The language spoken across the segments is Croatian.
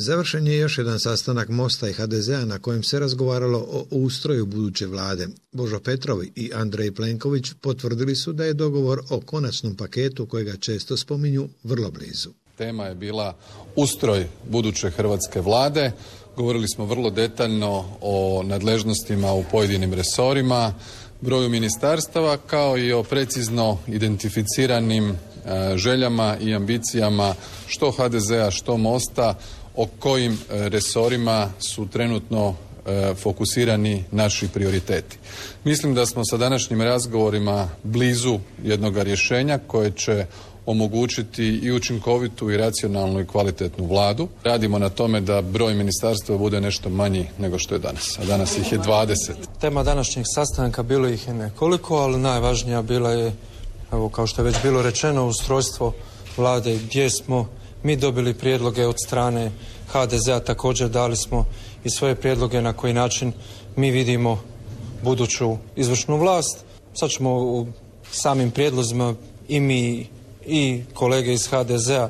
Završen je još jedan sastanak Mosta i HDZ-a na kojem se razgovaralo o ustroju buduće vlade. Božo Petrov i Andrej Plenković potvrdili su da je dogovor o konačnom paketu, kojega često spominju, vrlo blizu. Tema je bila ustroj buduće hrvatske vlade. Govorili smo vrlo detaljno o nadležnostima u pojedinim resorima, broju ministarstava, kao i o precizno identificiranim željama i ambicijama što HDZ-a, što Mosta, o kojim resorima su trenutno fokusirani naši prioriteti. Mislim da smo sa današnjim razgovorima blizu jednoga rješenja koje će omogućiti i učinkovitu i racionalnu i kvalitetnu vladu. Radimo na tome da broj ministarstva bude nešto manji nego što je danas, a danas ih je 20. Tema današnjeg sastanka bilo ih je nekoliko, ali najvažnija bila je, evo kao što je već bilo rečeno, ustrojstvo vlade gdje smo mi dobili prijedloge od strane HDZ-a, također dali smo i svoje prijedloge na koji način mi vidimo buduću izvršnu vlast. Sad ćemo u samim prijedlozima i mi i kolege iz HDZ-a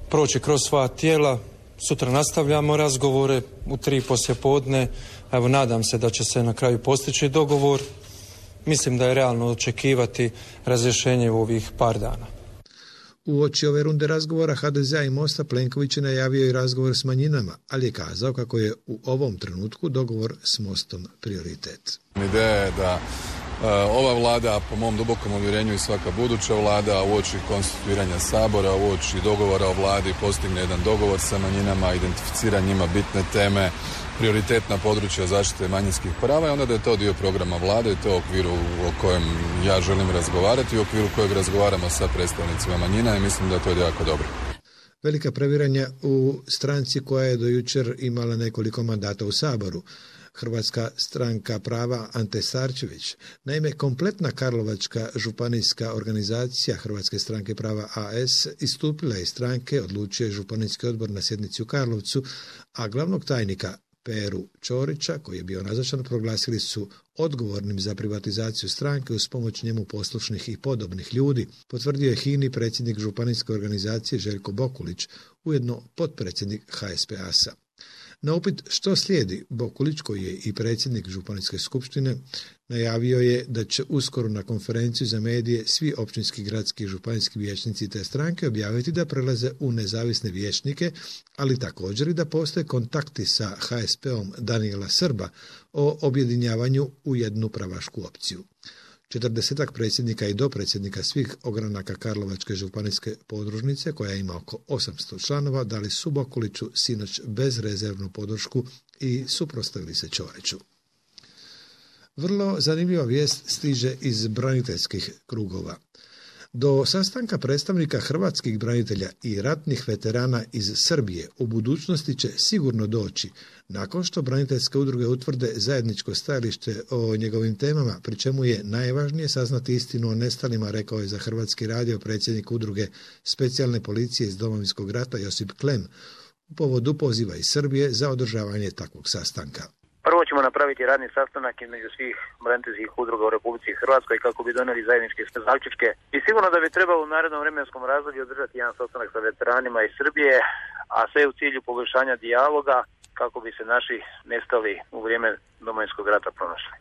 proći kroz sva tijela. Sutra nastavljamo razgovore u 3 poslijepodne. Evo, nadam se da će se na kraju postići dogovor. Mislim da je realno očekivati razrješenje u ovih par dana. Uoči ove runde razgovora HDZ-a i Mosta Plenković je najavio i razgovor s manjinama, ali je kazao kako je u ovom trenutku dogovor s Mostom prioritet. Ideja je da ova vlada, po mom dubokom uvjerenju i svaka buduća vlada, uoči konstituiranja Sabora, uoči dogovora o vladi postigne jedan dogovor sa manjinama, identificira njima bitne teme, prioritetna područja zaštite manjinskih prava i onda da je to dio programa vlade i to u okviru o kojem ja želim razgovarati i u okviru kojeg razgovaramo sa predstavnicima manjina i mislim da to je jako dobro. Velika previranja u stranci koja je do jučer imala nekoliko mandata u Saboru. Hrvatska stranka prava Ante Starčević. Naime, kompletna karlovačka županijska organizacija Hrvatske stranke prava AS istupila je iz stranke, odlučio je županijski odbor na sjednici u Karlovcu, a glavnog tajnika Peru Ćorića, koji je bio nazočan, proglasili su odgovornim za privatizaciju stranke uz pomoć njemu poslušnih i podobnih ljudi, potvrdio je HINA-i predsjednik županijske organizacije Željko Bokulić, ujedno potpredsjednik HSPAS-a. Na upit što slijedi, Bokulić, koji je i predsjednik županijske skupštine, najavio je da će uskoro na konferenciju za medije svi općinski, gradski i županijski vijećnici te stranke objaviti da prelaze u nezavisne vijećnike, ali također i da postoje kontakti sa HSP-om Danijela Srba o objedinjavanju u jednu pravašku opciju. 40 predsjednika i dopredsjednika svih ogranaka Karlovačke županijske podružnice, koja ima oko 800 članova, dali su Bokuliću sinoć bezrezervnu podršku i suprotstavili se Ćoriću. Vrlo zanimljiva vijest stiže iz braniteljskih krugova. Do sastanka predstavnika hrvatskih branitelja i ratnih veterana iz Srbije u budućnosti će sigurno doći nakon što braniteljske udruge utvrde zajedničko stajalište o njegovim temama, pri čemu je najvažnije saznati istinu o nestalima, rekao je za Hrvatski radio predsjednik udruge specijalne policije iz Domovinskog rata Josip Klem u povodu poziva iz Srbije za održavanje takvog sastanka. Prvo ćemo napraviti radni sastanak između svih braniteljskih udruga u Republici Hrvatskoj kako bi donijeli zajedničke zaključke i sigurno da bi trebalo u narednom vremenskom razdoblju održati jedan sastanak sa veteranima iz Srbije, a sve u cilju poboljšanja dijaloga kako bi se naši nestali u vrijeme Domovinskog rata pronašli.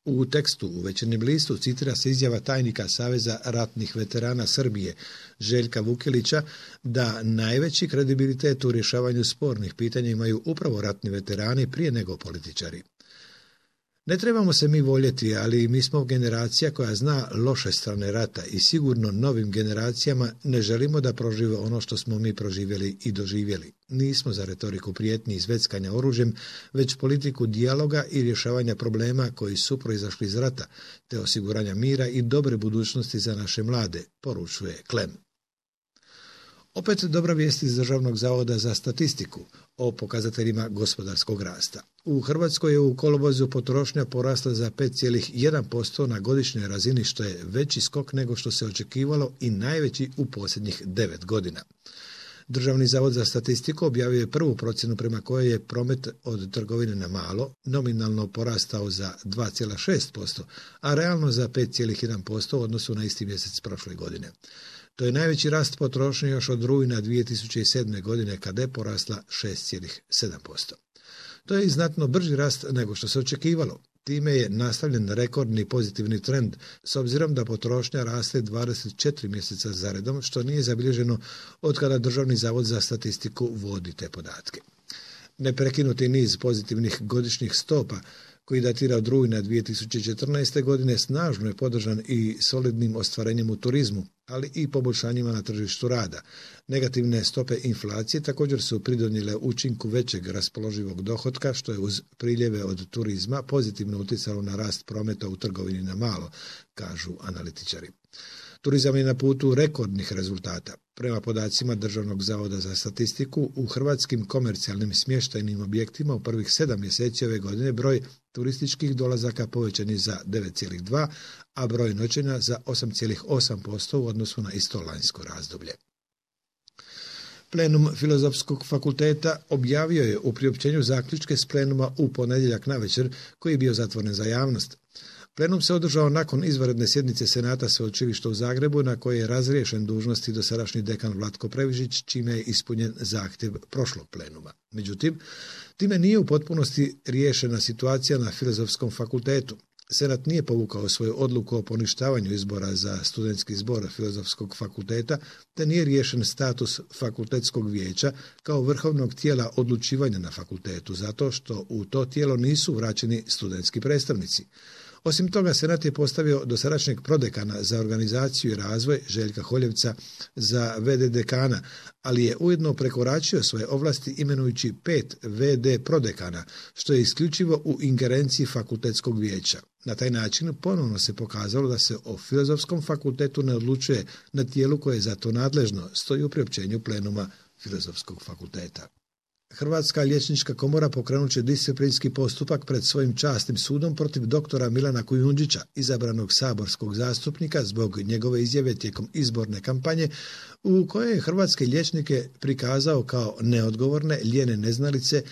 U tekstu u Večernjem listu citira se izjava tajnika Saveza ratnih veterana Srbije Željka Vukelića da najveći kredibilitet u rješavanju spornih pitanja imaju upravo ratni veterani prije nego političari. Ne trebamo se mi voljeti, ali mi smo generacija koja zna loše strane rata i sigurno novim generacijama ne želimo da prožive ono što smo mi proživjeli i doživjeli. Nismo za retoriku prijetnji i zveckanja oružjem, već politiku dijaloga i rješavanja problema koji su proizašli iz rata, te osiguranja mira i dobre budućnosti za naše mlade, poručuje Klem. Opet dobra vijest iz Državnog zavoda za statistiku o pokazateljima gospodarskog rasta. U Hrvatskoj je u kolovozu potrošnja porasla za 5,1% na godišnjoj razini, što je veći skok nego što se očekivalo i najveći u posljednjih 9 godina. Državni zavod za statistiku objavio je prvu procjenu prema kojoj je promet od trgovine na malo nominalno porastao za 2,6%, a realno za 5,1% u odnosu na isti mjesec prošle godine. To je najveći rast potrošnje još od rujna 2007. godine kada je porasla 6,7%. To je i znatno brži rast nego što se očekivalo. Time je nastavljen rekordni pozitivni trend, s obzirom da potrošnja raste 24 mjeseca zaredom, što nije zabilježeno od kada Državni zavod za statistiku vodi te podatke. Neprekinuti niz pozitivnih godišnjih stopa, koji datira od rujna 2014. godine, snažno je podržan i solidnim ostvarenjem u turizmu, ali i poboljšanjima na tržištu rada. Negativne stope inflacije također su pridonijele učinku većeg raspoloživog dohotka, što je uz priljeve od turizma pozitivno utjecalo na rast prometa u trgovini na malo, kažu analitičari. Turizam je na putu rekordnih rezultata. Prema podacima Državnog zavoda za statistiku, u hrvatskim komercijalnim smještajnim objektima u prvih 7 mjeseci ove godine broj turističkih dolazaka povećan je za 9,2%, a broj noćenja za 8,8% u odnosu na isto lanjsko razdoblje. Plenum Filozofskog fakulteta objavio je u priopćenju zaključke s plenuma u ponedjeljak navečer, koji je bio zatvoren za javnost. Plenum se održao nakon izvanredne sjednice Senata Sveučilišta u Zagrebu, na kojoj je razriješen dužnosti dosadašnji dekan Vlatko Previžić, čime je ispunjen zahtjev prošlog plenuma. Međutim, time nije u potpunosti riješena situacija na Filozofskom fakultetu. Senat nije povukao svoju odluku o poništavanju izbora za studentski zbor Filozofskog fakulteta, te nije riješen status fakultetskog vijeća kao vrhovnog tijela odlučivanja na fakultetu, zato što u to tijelo nisu vraćeni studentski predstavnici. Osim toga, Senat je postavio dosadašnjeg prodekana za organizaciju i razvoj Željka Holjevca za VD dekana, ali je ujedno prekoračio svoje ovlasti imenujući 5 VD prodekana, što je isključivo u ingerenciji fakultetskog vijeća. Na taj način ponovno se pokazalo da se o Filozofskom fakultetu ne odlučuje na tijelu koje je za to nadležno, stoji u priopćenju plenuma Filozofskog fakulteta. Hrvatska liječnička komora pokrenut će disciplinski postupak pred svojim časnim sudom protiv doktora Milana Kujundžića, izabranog saborskog zastupnika zbog njegove izjave tijekom izborne kampanje u kojoj je hrvatske liječnike prikazao kao neodgovorne, lijene neznalice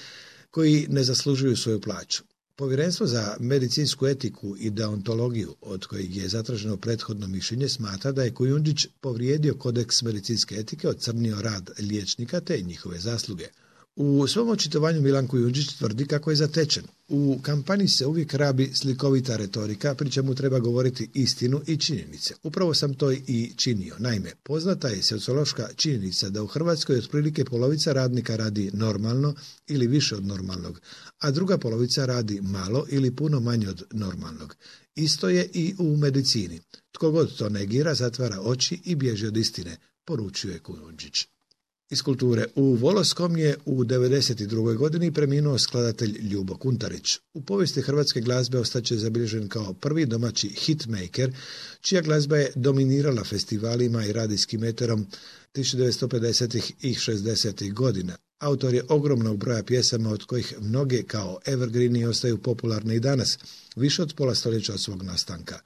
koji ne zaslužuju svoju plaću. Povjerenstvo za medicinsku etiku i deontologiju, od kojeg je zatraženo prethodno mišljenje, smatra da je Kujundžić povrijedio kodeks medicinske etike, ocrnio rad liječnika te njihove zasluge. U svom očitovanju Milan Kujundžić tvrdi kako je zatečen. U kampanji se uvijek rabi slikovita retorika, pri čemu treba govoriti istinu i činjenice. Upravo sam to i činio. Naime, poznata je sociološka činjenica da u Hrvatskoj otprilike polovica radnika radi normalno ili više od normalnog, a druga polovica radi malo ili puno manje od normalnog. Isto je i u medicini. Tko god to negira, zatvara oči i bježi od istine, poručuje Kujundžić. Iz kulture. U Voloskom je u 1992. godini preminuo skladatelj Ljubo Kuntarić. U povijesti hrvatske glazbe ostaće zabilježen kao prvi domaći hitmaker, čija glazba je dominirala festivalima i radijskim eterom 1950. i 60. godina. Autor je ogromnog broja pjesama, od kojih mnoge kao evergreeni ostaju popularne i danas, više od pola stoljeća od svog nastanka.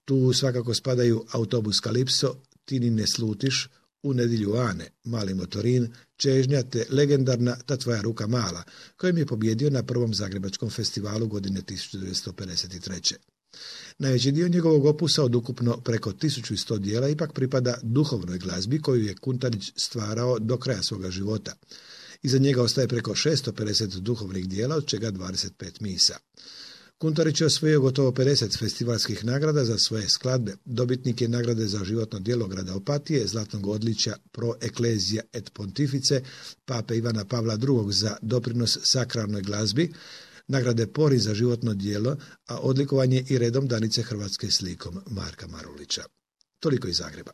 Tu svakako spadaju Autobus Kalipso, Ti ni ne slutiš, U nedjelju Ane, Mali motorin, Čežnja te legendarna Ta tvoja ruka mala, kojim je pobjedio na prvom zagrebačkom festivalu godine 1953. Najveći dio njegovog opusa od ukupno preko 1100 dijela ipak pripada duhovnoj glazbi koju je Kuntarić stvarao do kraja svoga života. Iza njega ostaje preko 650 duhovnih dijela, od čega 25 misa. Kuntarić je osvojio gotovo 50 festivalskih nagrada za svoje skladbe. Dobitnik je nagrade za životno djelo grada Opatije, zlatnog odličja Pro Ecclesia et Pontifice, pape Ivana Pavla II. Za doprinos sakralnoj glazbi, nagrade Pori za životno djelo, a odlikovanje i redom Danice Hrvatske slikom Marka Marulića. Toliko iz Zagreba.